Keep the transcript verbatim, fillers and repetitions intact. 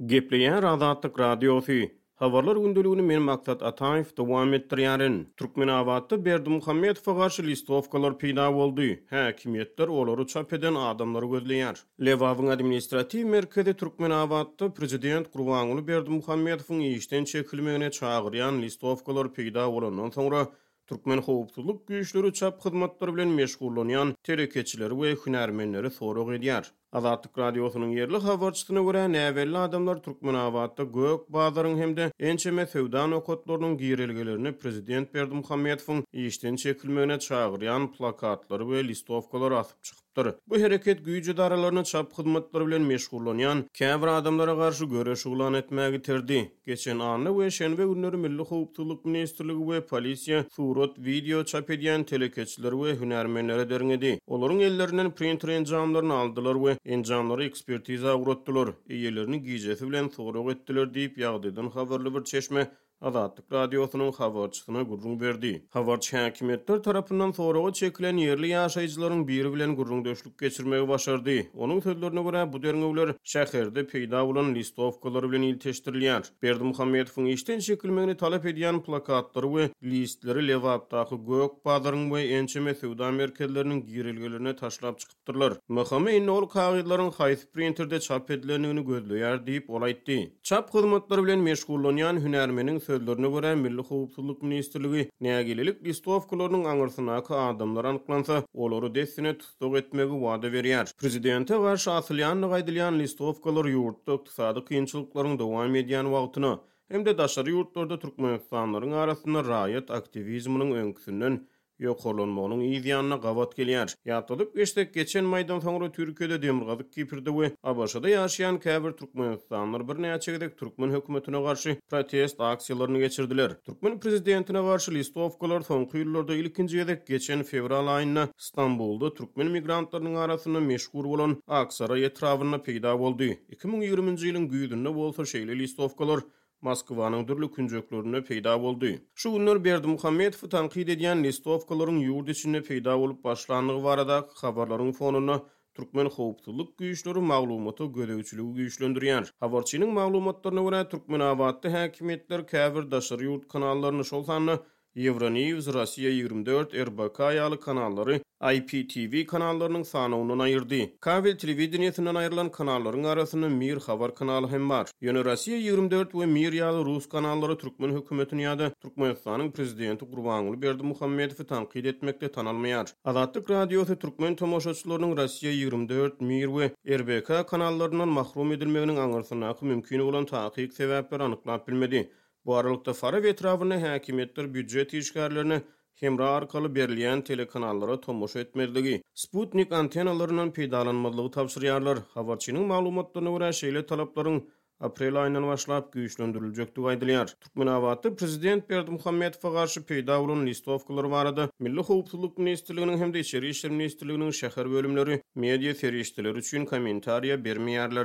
Gepleýär Azatlyk Radiosy. Habarlar gündeligini men Maksat Ataýew dowam etdirýärin. Türkmenabatda Berdimuhamedowa garşy listowkalar peýda boldy. Häkimiýetler olary çap eden adamlary gözleýär. Lebabyň administratiw merkezi Türkmenabatda prezident Gurbanguly Berdimuhamedowyň işden çekilmegine çagyrýan listowkalar peýda bolandan soňra türkmen howpsuzlyk güýçleri çap hyzmatlary bilen meşgullanýan telekeçileri we hünärmenleri sorag edýär. Azatlyk Radiosynyň ýerli habarçysyna görä, näbelli adamlar Türkmenabatda Gök bazaryň hem-de ençeme söwda nokatlarynyň girelgelerine prezident Berdimuhamedowyň işden çekilmegine çagyrýan plakatlary we listowkalary asyp çykypdyr. Bu hereket güýç edaralaryny çap hyzmatlary bilen meşgullanýan käbir adamlara garşy göreş yglan etmäge iterdi. Geçen anna we şenbe günleri Milli howpsuzlyk ministrligi we polisiýa surat, wideo çap edýän telekeçileri we hünärmenleri derňedi. Olaryň ellerinden printer enjamlaryny aldylar we enjamlary ekspertiza ugratdylar. Eýelerini gijesi bilen sorag etdiler diýip, ýagdaýdan habarly bir çeşme Azatlyk Radiosynyň habarçysyna gürrüň berdi. Habarçy häkimiýetler tarapyndan soraga çekilen ýerli ýaşaýjylaryň biri bilen gürrüňdeşlik geçirmegi başardy. Onuň sözlerine görä, bu derňewler şäherde peýda bolan listowkalar bilen ilteşdirilýär. Berdimuhamedowyň işden çekilmegini talap edýän plakatlary we listleri Lebapdaky Gök bazaryň we ençeme söwda merkezleriniň girelgelerine taşlap çykypdyrlar. M H M indi ol kagyzlaryň haýsy printerde çap edilendigini gözleýär diýip, ol aýtdy. Çap hyzmatlary bilen meşgullanýan hünärmeniň sözlerine görä, Milli howpsuzlyk ministrligi nägilelik listowkalarynyň aňyrsyndaky adamlar anyklansa, olary dessine tussag etmegi wada berýär. Prezidente garşy asylýandygy aýdylýan listowkalar ýurtda ykdysady kynçylyklaryň dowam edýän wagtyna hem-de daşary ýurtlarda türkmenistanlylaryň arasynda raýat aktiwizminiň öňküsinden ýokarlanmagynyň yz ýanyna gabat gelýär. Ýatladyp geçsek, geçen maýdan soňra Türkiýede, Demirgazyk Kiprde we A B Ş-da ýaşaýan käbir türkmenistanlylar birnäçe gezek türkmen hökümetine garşy protest aksiýalaryny geçirdiler. Türkmen prezidentine garşy listowkalar soňky ýyllarda ilkinji gezek geçen fewral aýynda Stambulda türkmen migrantlarynyň arasynda meşhur bolan Aksaray etrabynda peýda boldy. iki müň ýigriminji ýylyň güýzünde bolsa şeýle listowkalar Moskwanyň dürli künjeklerinde peýda boldy. Şu günler Berdimuhamedowy tankyt edýän listowkalaryň ýurt içinde peýda bolup başlandygy baradaky habarlaryň fonunda türkmen howpsuzlyk güýçleri maglumata gözegçiligi güýçlendirýär. Habarçynyň maglumatlaryna görä, Türkmenabatda häkimiýetler käbir daşary ýurt kanallaryny, şol sanda Euronews, Russiya ýigrimi dört, R B K ýaly kanallary I P T V kanallarynyň sanawyndan aýyrdy. Kabel telewideniýesinden aýrylan kanallaryň arasynda Mir habar kanaly hem bar. Ýöne Russiya ýigrimi dört we Mir ýaly rus kanallary türkmen hökümetini ýa-da Türkmenistanyň prezidenti Gurbanguly Berdimuhamedowy tankyt etmekde tanalmaýar. Azatlyk Radiosy türkmen tomaşaçylarynyň Russiya ýigrimi dört, Mir we R B K kanallaryndan mahrum edilmeginiň aňyrsyndaky mümkin bolan takyk sebäpleri anyklap bilmedi. Bu aralykda Farap etrabynda häkimiýetler býujet işgärlerine hemra arkaly berilýän telekanallara tomaşa etmezligi, Sputnik antenalaryndan peýdalanmazlygy tabşyrýarlar. Habarçynyň maglumatlaryna görä, şeýle talaplaryň aprel aýyndan başlap güýçlendiriljekdigi aýdylýar. Türkmenabatda prezident Berdimuhamedowa garşy peýda bolan listowkalar barada Milli howpsuzlyk ministrliginiň hem-de Içeri işler ministrliginiň şäher bölümleri media serişdeleri üçin kommentariýa bermeýärler.